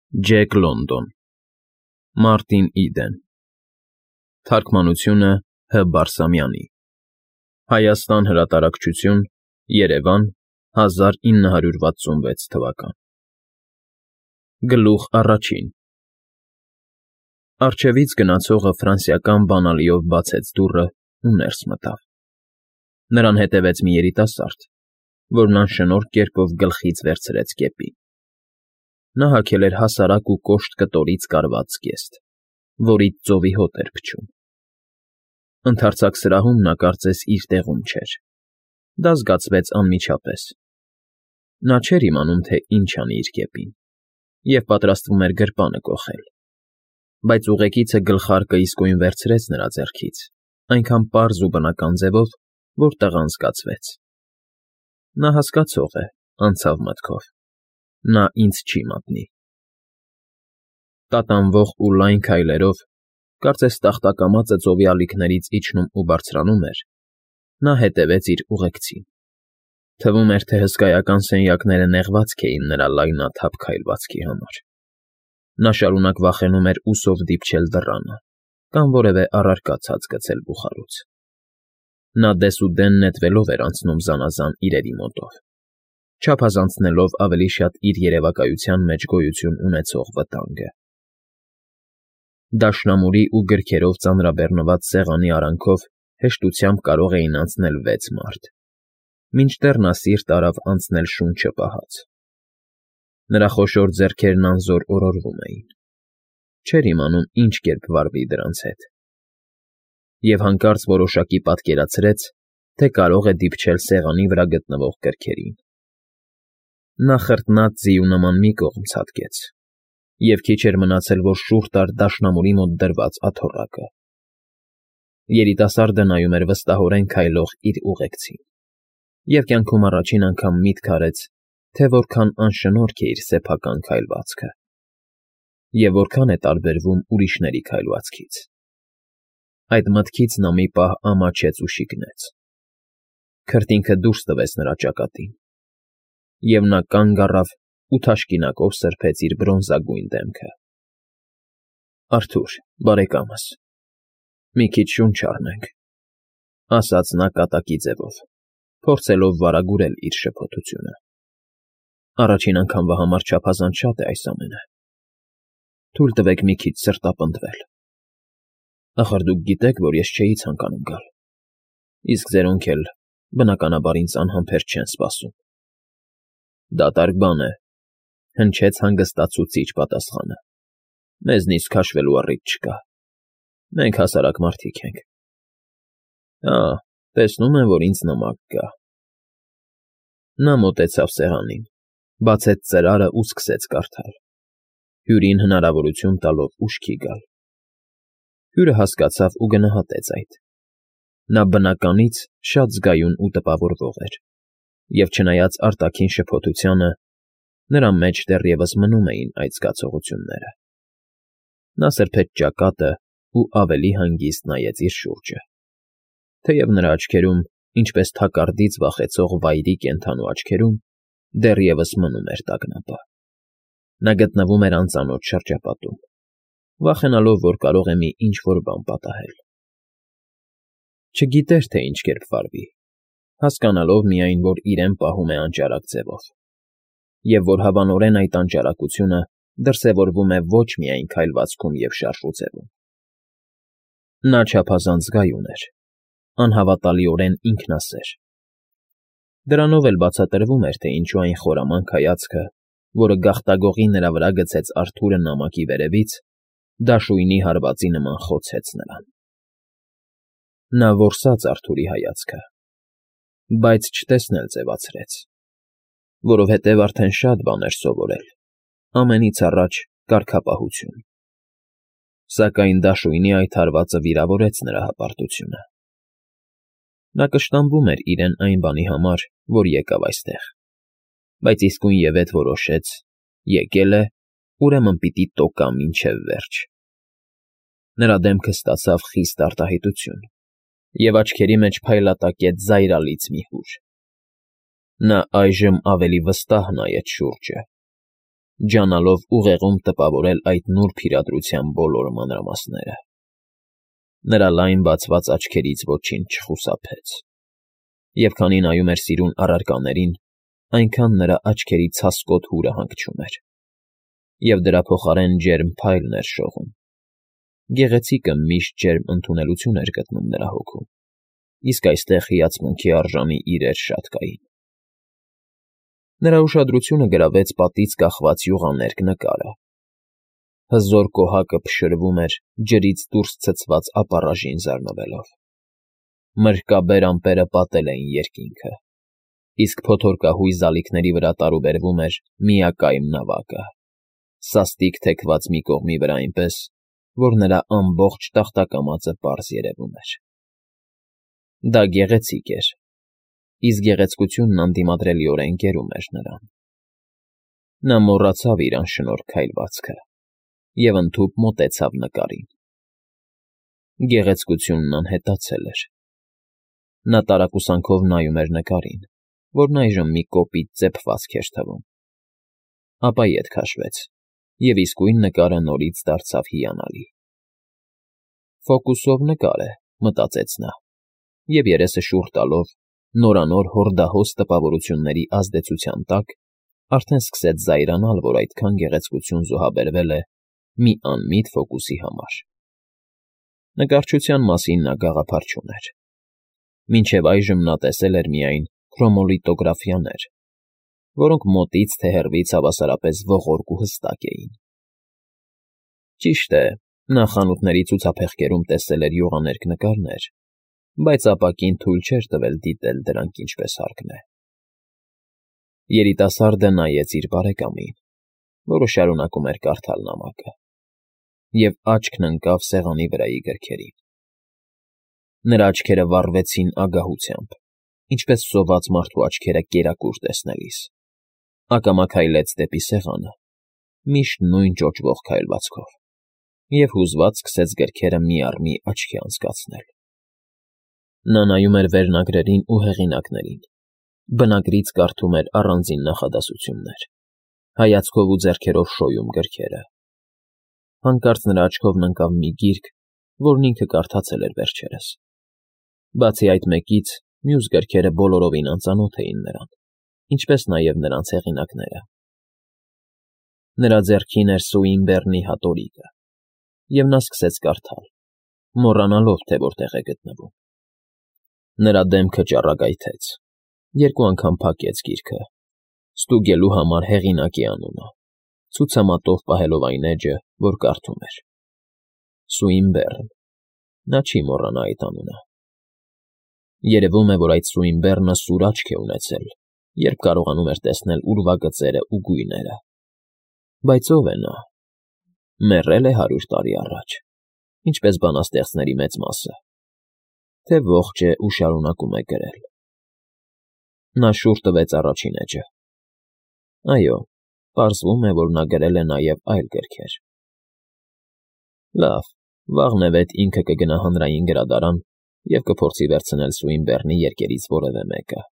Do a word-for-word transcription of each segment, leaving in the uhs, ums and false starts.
Ջեք Լոնդոն Մարտին Իդեն Թարգմանությունը Հ. Բարսամյանի Հայաստան հրատարակչություն Երևան հազար ինը հարյուր վաթսունվեց թվական Գլուխ առաջին Առջևից գնացողը ֆրանսիական բանալիով բացեց դուռն ու ներս մտավ։ Նրան հետևեց մի երիտասարդ, որն անշնորհ կերպով գլխից վերցրեց կեպին։ Նա հագել էր հասարակ ու կոշտ կտորից կարված զգեստ, որից ծովի հոտ էր փչում։ Ընդարձակ սրահում նա կարծես իր տեղում չէր, դա զգացվեց անմիջապես։ Նա չէր իմանում, թե ինչ անի իր կեպին, և պատրաստվում էր գրպանը կոխել, բայց ուղեկիցը գլխարկը իսկույն վերցրեց նրա ձեռքից, այնքան պարզ ու բնական ձևով, որ տղան զգացվեց. նա հասկացող է, անցավ մտքով, նա ինձ չի մատնի։ Տատանվող ու լայն քայլերով, կարծես տախտակամածը ծովի ալիքներից իջնում ու բարձրանում էր, նա հետևեց իր ուղեկցին։ Թվում էր, թե հսկայական սենյակները նեղվածք էին նրա լայնաթափ քայլվածքի համար։ Նա շարունակ վախենում էր ուսով դիպչել դռանը կամ որևէ առարկա ցած գցել բուխարուց։ Նա դեսուդեն նետվելով էր անցնում զանազան իրերի մոտով, չափազանցնելով ավելի շատ իր երևակայության մեջ գոյություն ունեցող վտանգը։ Դաշնամուրի ու գրքերով ծանրաբեռնված սեղանի արանքով հեշտությամբ կարող էին անցնել վեց մարդ, մինչդեռ նա սիրտ արավ անցնել շունչը պահած։ Նրա խոշոր ձեռքերն անզոր օրորվում էին, չէր իմանում ինչ կերպ վարվի դրանց հետ։ Եվ հանկարծ որոշակի պատկերացրեց, թե կարող է դիպչել սեղանի վրա գտնվող գրքերին։ Նա խրտնած ձիու նման մի կողմ ցատկեց, և քիչ էր մնացել, որ շուռ տար դաշնամուրի մոտ դրված աթոռակը։ Երիտասարդը նայում էր վստահորեն քայլող իր ուղեկցին, և կյանքում առաջին անգամ միտք արեց, թե որքան անշնորհք է իր սեփական քայլվածքը, և որքան է տարբերվում ուրիշների քայլվածքից։ Այդ մտքից նա մի պահ ամաչեց ու շիկնեց։ Քրտինքը դուրս տվեց նրա ճակատին, և նա կանգ առավ ու թաշկինակով սրբեց իր բրոնզագույն դեմքը։ ֊ Արթուր, բարեկամս, մի քիչ շունչ առնենք,֊ ասաց նա կատակի ձևով, փորձելով վարագուրել իր շփոթությունը։ Առաջին անգամվա համար չափազանց շատ է այս ամենը։ Թույլ տվեք մի քիչ սրտապնդվել։ Ախր դուք գիտեք, որ ես չէի ցանկանում գալ, իսկ ձերոնք էլ, բնականաբար, ինձ անհամբերձ չեն սպասում։ Դատարկ բան է,֊ հնչեց հանգստացուցիչ պատասխանը։ Մեզնից քաշվելու առիթ չկա։ Մենք հասարակ մարդիկ ենք։ Ա, տեսնում եմ, որ ինձ նամակ կա։ Նա մոտեցավ սեղանին, բացեց ծրարն ու սկսեց կարդալ, հյուրին հնարավորություն տալով ուշքի գալ։ Հյուրը հասկացավ ու գնահատեց այդ։ Նա բնականից շատ զգայուն ու տպավորվող էր, և չնայած արտաքին շփոթությանը, նրա մեջ դեռևս մնում էին այդ զգացողությունները։ Նա սրբեց ճակատն ու ավելի հանգիստ նայեց իր շուրջը, թեև նրա աչքերում, ինչպես թակարդից վախեցող վայրի կենդանու աչքերում, դեռևս մնում էր տագնապը։ Նա գտնվում էր անծանոթ շրջապատում, վախենալով, որ կարող է մի ինչ֊որ բան պատահել։ Չգիտեր, թե ինչ կերպ վարվի, հասկանալով միայն, որ իրեն պահում է անճարակ ձևով, և որ հավանորեն այդ անճարակությունը դրսևորվում է ոչ միայն քայլվածքում և շարժուձևում։ Նա չափազանց զգայուն էր, անհավատալիորեն ինքնասեր։ Դրանով էլ բացատրվում էր, թե ինչու այն խորամանկ հայացքը, որը գաղտագողի նրա վրա գցեց Արթուրը նամակի վերևից, դաշույնի հարվածի նման խոցեց նրան։ Նա որսաց Արթուրի հայացքը, բայց չտեսնել ձևացրեց, որովհետև արդեն շատ բան էր սովորել, ամենից առաջ կարգապահություն։ Սակայն դաշույնի այդ հարվածը վիրավորեց նրա հպարտությունը։ Նա կշտամբում էր իրեն այն բանի համար, որ եկավ այստեղ, բայց իսկույնևեթ որոշեց՝ եկել է, ուրեմն պիտի տոկա մինչև վերջ։ Նրա դեմքը ստացավ խիստ արտահայտություն, և աչքերի մեջ փայլատակեց զայրալից մի հուր։ Նա այժմ ավելի վստահ նայեց շուրջը, ջանալով ուղեղում տպավորել այդ նուրբ իրադրության բոլոր մանրամասները։ Նրա լայն բացված աչքերից ոչինչ չխուսափեց, և քանի նայում էր սիրուն առարկաներին, այնքան նրա աչքերի ցասկոտ հուրը հանգչում էր, և դրա փոխարեն ջերմ փայլն էր շողում։ Գեղեցիկը միշտ ջերմ ընդունելություն էր գտնում նրա հոգում, իսկ այստեղ հիացմունքի արժանի իրեր շատ կային։ Նրա ուշադրությունը գրավեց պատից կախված յուղաներկ նկարը։ Հզոր կոհակը փշրվում էր ջրից դուրս ցցված ապառաժին զարնվելով։ Մրրկաբեր ամպերը պատել էին երկինքը, իսկ փոթորկահույզ ալիքների վրա տարուբերվում էր միակայմ նավակը, սաստիկ թեքված մի կողմի վրա այնպես, որ նրա ամբողջ տախտակամածը պարզ երևում էր։ Դա գեղեցիկ էր, իսկ գեղեցկությունն անդիմադրելիորեն գերում էր նրան։ Նա մոռացավ իր անշնորհ քայլվածքը և ընդհուպ մոտեցավ նկարին։ Գեղեցկությունն անհետացել էր։ Նա տարակուսանքով նայում էր նկարին, որն այժմ մի կոպիտ ծեփվածք էր թվում, ապա ետ քաշվեց, և իսկույն նկարը նորից դարձավ հիանալի։ «Ֆոկուսով նկար է», մտածեց նա, և երեսը շուռ տալով նորանոր հորդահոս տպավորությունների ազդեցության տակ արդեն սկսեց զայրանալ, որ այդքան գեղեցկություն զոհաբերվել է մի անմիտ ֆոկուսի համար։ Նկարչության մասին նա գաղափար չուներ։ Մինչև այժմ նա տեսել էր միայն քրոմոլիտոգրաֆիաներ, որոնք մոտից թե հեռվից հավասարապես ողորկ ու հստակ էին։ Ճիշտ է, նա խանութների ցուցափեղկերում տեսել էր յուղաներկ նկարներ, բայց ապակին թույլ չէր տվել դիտել դրանք ինչպես հարկն է։ Երիտասարդը նայեց իր բարեկամին, որը շարունակում էր կարդալ նամակը, և աչքն ընկավ սեղանի վրայի գրքերին։ Նրա աչքերը վառվեցին ագահությամբ, ինչպես սոված մարդու աչքերը կերակուր տեսնելիս։ Ակամա քայլեց դեպի սեղանը, միշտ նույն ճոճվող քայլվածքով, և հուզված սկսեց գրքերը մի առ մի աչքի անցկացնել։ Նա նայում էր վերնագրերին ու հեղինակներին, բնագրից կարդում էր առանձին նախադասություններ, հայացքով ու ձեռքերով շոյում գրքերը։ Հանկարծ նրա աչքովն ընկավ մի գիրք, որն ինքը կարդացել էր վերջերս։ Բացի այդ մեկից, մյուս գրքերը բոլորովին անծանոթ էին նրան, ինչպես նաև նրանց հեղինակները։ Նրա ձեռքին էր Սուինբեռնի հատորիկը, և նա սկսեց կարդալ, մոռանալով, թե որտեղ է գտնվում։ Նրա դեմքը ճառագայթեց, երկու անգամ փակեց գիրքը, ստուգելու համար հեղինակի անունը, ցուցամատով պահելով այն էջը, որ կարդում էր։ Սուինբեռն, նա չի մոռանա այդ անունը։ Երևում է, որ այդ Սուինբեռնը սուր աչք է ունեցել, երբ կարողանում էր տեսնել ուրվագծերն ու գույները։ Բայց ո՞վ է նա։ Մեռել է հարյուր տարի առաջ, ինչպես բանաստեղծների մեծ մասը, թե ողջ է ու շարունակում է գրել։ Նա շուռ տվեց առաջին էջը։ Այո, պարզվում է, որ նա գրել է նաև այլ գրքեր։ Լավ, վաղնևեթ ինքը կգնա հանրային գրադարան և կփորձի վերցնել Սուինբեռնի երկերից որևէ մեկը։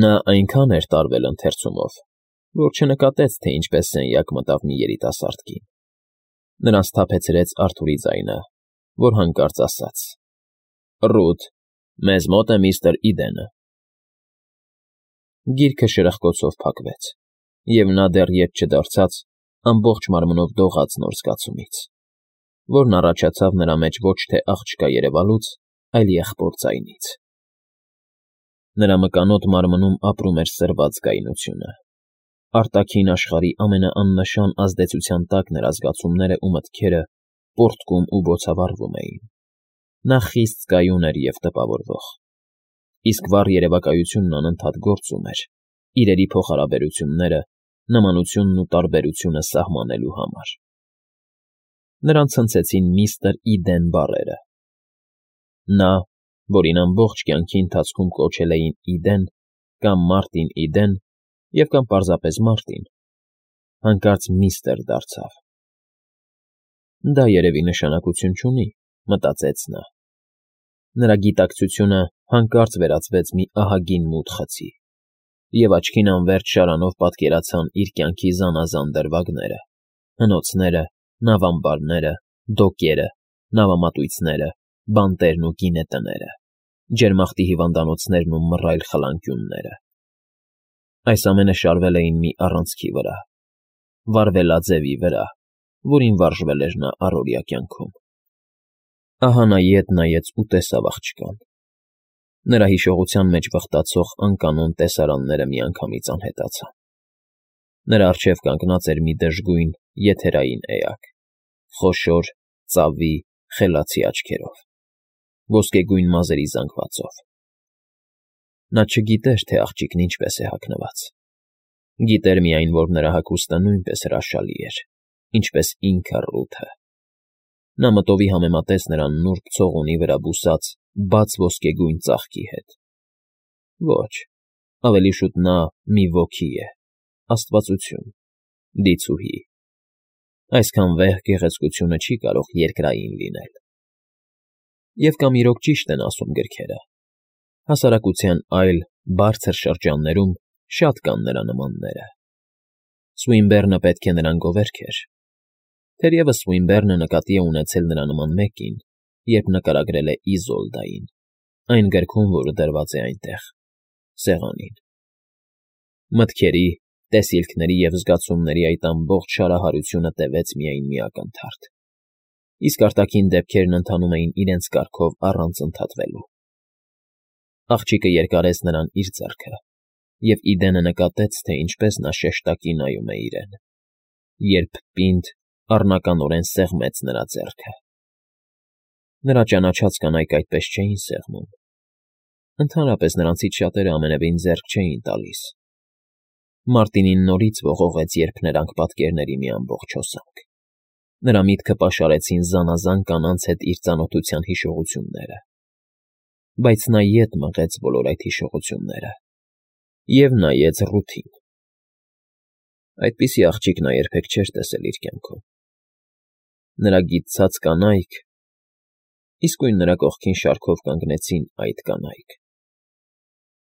Նա այնքան էր տարվել ընթերցումով, որ չնկատեց, թե ինչպես սենյակ մտավ մի երիտասարդ կին։ Նրան սթափեցրեց Արթուրի ձայնը, որ հանկարծ ասաց. «Ռութ, մեզ մոտ է միստր Իդենը»։ Գիրքը շրխկոցով փակվեց, և նա դեռ ետ չդարձած, ամբողջ մարմնով դողաց նոր զգացումից, որն առաջացավ նրա մեջ ոչ թե աղջկա երևալուց, այլ եղբոր ձայնից։ Նրա մկանոտ մարմնում ապրում էր սրված կայունությունը։ Արտաքին աշխարհի ամենաաննշան ազդեցության տակ նրա զգացումները ու մտքերը պոռթկում ու բոցավառվում էին։ Նա խիստ կայուն էր և տպավորվող, իսկ վառ երևակայությունն անընդհատ գործում էր, իրերի փոխհարաբերությունները, նմանությունն ու տարբերությունը սահմանելու համար։ Նրան ցնցեցին միստր Իդեն բառերը։ Նա, որին ամբողջ կյանքի ընթացքում կոչել էին Իդեն կամ Մարտին Իդեն և կամ պարզապես Մարտին, հանկարծ միստր դարձավ։ Դա երևի նշանակություն չունի, մտածեց նա։ Նրա գիտակցությունը հանկարծ վերածվեց մի ահագին մութ խցի, և աչքին անվերջ շարանով պատկերացան իր կյանքի զանազան դրվագները, հնոցները, նավամբարները, դոկերը, նավամատույցները, բանտերն ու գինետները, ջերմախտի հիվանդանոցներն ու մռայլ խլանկյունները։ Այս ամենը շարվել էին մի առանցքի վրա, վարվելաձևի վրա, որին վարժվել էր նա առօրյա կյանքում։ Ահա նա ետ նայեց ու տեսավ աղջկան։ Նրա հիշողության մեջ վխտացող անկանոն տեսարանները միանգամից անհետացան։ Նրա առջև կանգնած էր մի դժգույն եթերային էակ, խոշոր, ծավի, խելացի աչքերով, ոսկեգույն մազերի զանգվածով։ Նա չգիտեր, թե աղջիկն ինչպես է հագնված։ Գիտեր միայն, որ նրա հագուստը նույնպես հրաշալի էր, ինչպես ինքը Ռութը։ Նա մտովի համեմատեց նրան նուրբ ցողունի վրա բուսած բաց ոսկեգույն ծաղկի հետ։ Ոչ, ավելի շուտ նա մի ոգի է, աստվածություն, դիցուհի։ Այսքան վեհ գեղեցկությունը չի կարող երկրային լինել։ Եվ կամ իրոք ճիշտ են ասում գրքերը. հասարակության այլ, բարձր շրջաններում շատ կան նրա նմանները։ Սուինբեռնը պետք է նրան գովերգեր։ Թերևս Սուինբեռնը նկատի է ունեցել նրա նման մեկին, երբ նկարագրել է Իզոլդային, այն գրքում, որը դրված է այնտեղ, սեղանին։ Մտքերի, տեսիլքների և զգացումների այդ ամբողջ շարահարությունը տևեց միայն մի ակնթարթ, իսկ արտաքին դեպքերն ընթանում էին իրենց կարգով առանց ընդհատվելու։ Աղջիկը երկարեց նրան իր ձեռքը, և Իդենը նկատեց, թե ինչպես նա շեշտակի նայում է իրեն, երբ պինդ, առնականորեն սեղմեց նրա ձեռքը։ Նրա ճանաչած կանայք այդպես չէին սեղմում։ Ընդհանրապես նրանցից շատերը ամենևին ձեռք չէին տալիս։ Մարտինին նորից ողողեց, երբ նրանք պատկերների մի ամբողջ հոսանք։ Նրա միտքը պաշարեցին զանազան կանանց հետ իր ծանոթության հիշողությունները։ Բայց նա ետ մղեց բոլոր այդ հիշողությունները և նայեց Ռութին։ Այդպիսի աղջիկ նա երբեք չէր տեսել իր կյանքում։ Նրա գիտցած կանայք… Իսկույն նրա կողքին շարքով կանգնեցին այդ կանայք։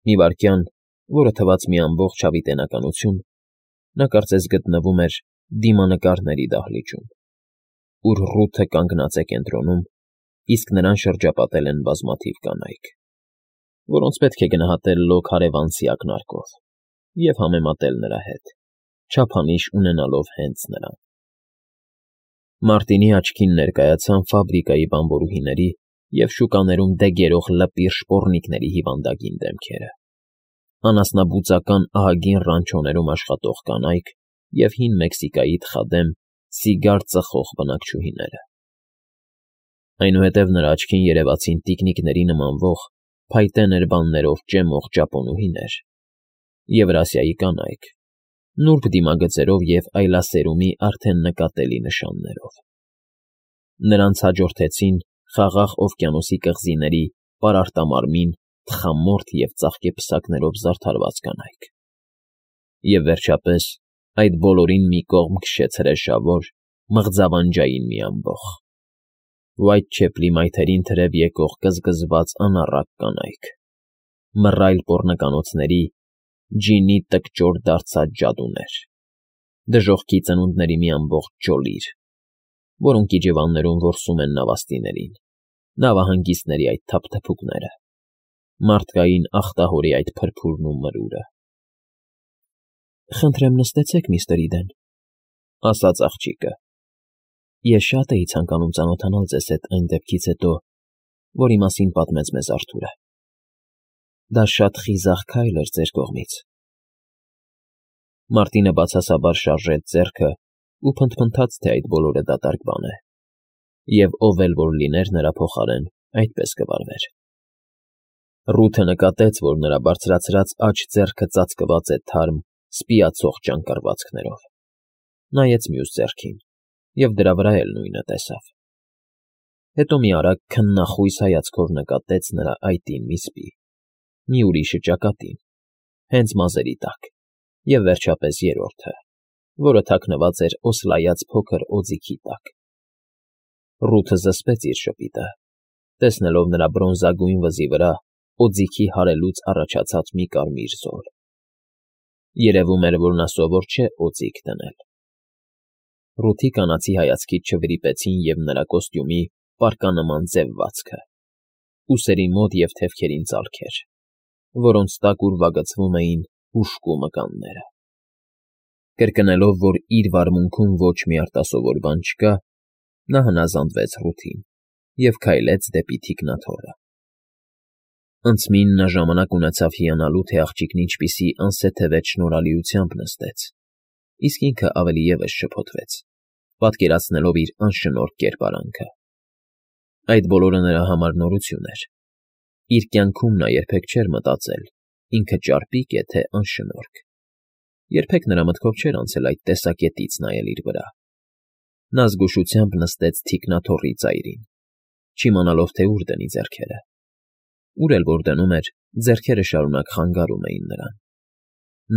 Մի վայրկյան, որը թվաց մի ամբողջ հավիտենականություն, նա կարծես գտնվում էր դիմանկարների դահլիճում, ուր Ռութը կանգնած է կենտրոնում, իսկ նրան շրջապատել են բազմաթիվ կանայք, որոնց պետք է գնահատել լոկ հարևանցի ակնարկով և համեմատել նրա հետ, չափանիշ ունենալով հենց նրան։ Մարտինի աչքին ներկայացան ֆաբրիկայի բանվորուհիների և շուկաներում դեգերող լպիր շպոռնիկների հիվանդագին դեմքերը, անասնաբուծական ահագին ռանչոներում աշխատող կանայք և հին Մեքսիկայի թխադեմ, սիգար ծխող բնակչուհիները։ Այնուհետև նրա աչքին երևացին տիկնիկների նմանվող, փայտե ներբաններով ճեմող ճապոնուհիներ, Եվրասիայի կանայք, նուրբ դիմագծերով և այլասերումի արդեն նկատելի նշաններով։ Նրանց հաջորդեցին Խաղաղ օվկիանոսի կղզիների պարարտամարմին, թխամորթ և ծաղկեպսակներով զարդարված կանայք։ Եվ վերջապես այդ բոլորին մի կողմ քշեց հրեշավոր, մղձավանջային մի ամբոխ. Ուայթչեփլի մայթերին թրև եկող կզկզված անառակ կանայք, մռայլ պոռնկանոցների, ջինի տկճոր դարձած ջադուներ, դժոխքի ծնունդների մի ամբողջ ջոլիր, որոնք իջևաններում որսում են նավաստիներին, նավահանգիստների այդ թափթփուկները, մարդկային ախտահորի այդ փրփուրն ու մրուրը։ Խնդրեմ նստեցեք, միստր Իդեն, ասաց աղջիկը։ Ես շատ էի ցանկանում ծանոթանալ ձեզ հետ այն դեպքից հետո, որի մասին պատմեց մեզ Արթուրը։ Դա շատ խիզախ քայլ էր ձեր կողմից։ Մարտինը բացասաբար շարժեց ձեռքը ու փնթփնթաց, թե այդ բոլորը դատարկ բան է, և ով էլ որ լիներ նրա փոխարեն, այդպես կվարվեր։ Ռութը նկատեց, որ նրա բարձրացրած աջ ձեռքը ծածկված է թարմ, սպիացող ճանկռվածքներով, նայեց մյուս ձեռքին և դրա վրա էլ նույնը տեսավ։ Հետո մի արագ քննախույս հայացքով նկատեց նրա այտին մի սպի, մի ուրիշը ճակատին, հենց մազերի տակ, և վերջապես երրորդը, որը թաքնված էր օսլայած փոքր օձիքի տակ։ Ռութը զսպեց իր շպիտը, տեսնելով նրա բրոնզագույն վզի վրա օձիքի հարելուց առաջացած մի կարմիր զոլ։ Երևում էր, որ նա սովոր չէ օձիք դնել։ Ռութի կանացի հայացքից չվրիպեցին և նրա կոստյումի պարկանման ձևվածքը, ուսերի մոտ և թևքերին ծալքեր, որոնց տակ ուրվագծվում էին հուժկու մկանները։ Կրկնելով, որ իր վարմունքում ոչ մի արտասովոր բան չկա, նա հնազանդվեց Ռութին և քայլեց դեպի թիկնաթոռը։ Անցմին նա ժամանակ ունեցավ հիանալու, թե աղջիկն ինչպիսի անսեթևետ շնորհալիությամբ նստեց, իսկ ինքը ավելի ևս շփոթվեց, պատկերացնելով իր անշնորհք կերպարանքը։ Այդ բոլորը նրա համար նորություն էր։ Իր կյանքում նա երբեք չէր մտածել ինքը ճարպիկ է, թե անշնորհք, երբեք նրա մտքով չէր անցել այդ տեսակետից նայել իր վրա։ Նա զգուշությամբ նստեց թիկնաթոռի ծայրին, չիմանալով, թե ուր դնի ձեռքերը։ Ուր էլ որ դնում էր, ձեռքերը շարունակ խանգարում էին նրան։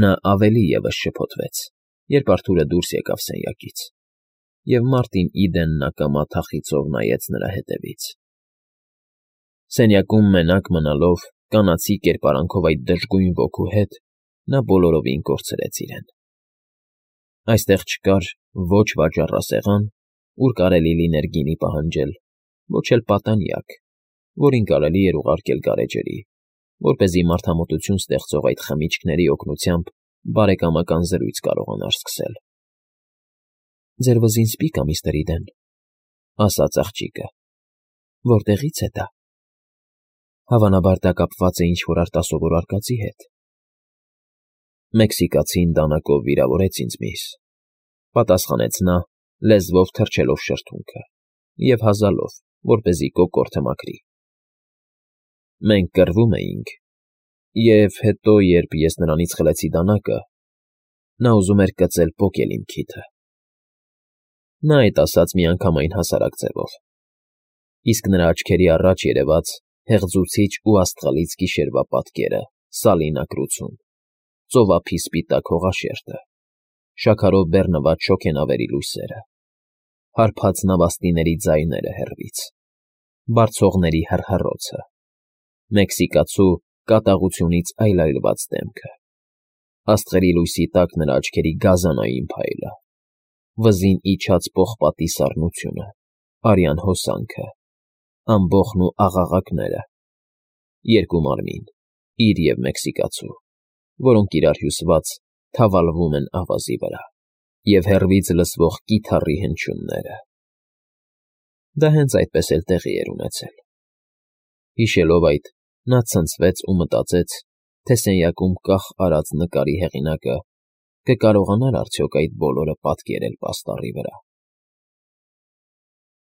Նա ավելի ևս շփոթվեց, երբ Արթուրը դուրս եկավ սենյակից, և Մարտին Իդենն ակամա թախիծով նայեց նրա հետևից։ Սենյակում մենակ մնալով, կանացի կերպարանքով այդ դժգույն ոգու հետ, նա բոլորովին կորցրեց իրեն։ Այստեղ չկար ոչ վաճառասեղան, ուր կարելի լիներ գինի պահանջել, ոչ էլ պատանյակ, որին կարելի էր ուղարկել գարեջրի, որպեսզի մարդամոտություն ստեղծող այդ խմիչքների օգնությամբ բարեկամական զրույց կարողանար սկսել։ ֊ Ձեր վզին սպի՞կ ա, միստր Իդեն, ֊ ասաց աղջիկը։ ֊ Որտեղից է դա։ Հավանաբար դա կապված է ինչ֊որ արտասովոր արկածի հետ։ Մեքսիկացին դանակով վիրավորեց ինձ, միս, ֊ պատասխանեց նա, լեզվով թռչելով շրթունքը և հազալով, որպեսզի կոկորդը մաքրի։ Մենք կռվում էինք, և հետո, երբ ես նրանից խլեցի դանակը, նա ուզում էր կծել պոկել իմ քիթը։ Նա այդ ասաց միանգամայն հասարակ ձևով, իսկ նրա աչքերի առաջ երևաց հեղձուցիչ ու աստղալից գիշերվա պատկերը սալին ապրություն, ծովափի սպիտակ հողաշերտը, շաքարով բեռնված շոգենավերի լույսերը, հարբած նավաստիների ձայները հեռվից, բարձողների հռհռոցը, մեքսիկացու կատաղությունից այլայլված դեմքը, աստղերի լույսի տակ նրա աչքերի գազանային փայլը, վզին իջած պողպատի սառնությունը, արյան հոսանքը, ամբոխն ու աղաղակները, երկու մարմին, իր և մեքսիկացու, որոնք իրար հյուսված թավալվում են ավազի վրա, և հեռվից լսվող կիթառի հնչյունները։ Դա հենց այդպես էլ տեղի էր ունեցել։ Հիշելով այդ, նա ցնցվեց ու մտածեց, թե սենյակում կախ արած նկարի հեղինակը կկարողանա՞ր արդյոք այդ բոլորը պատկերել պաստառի վրա։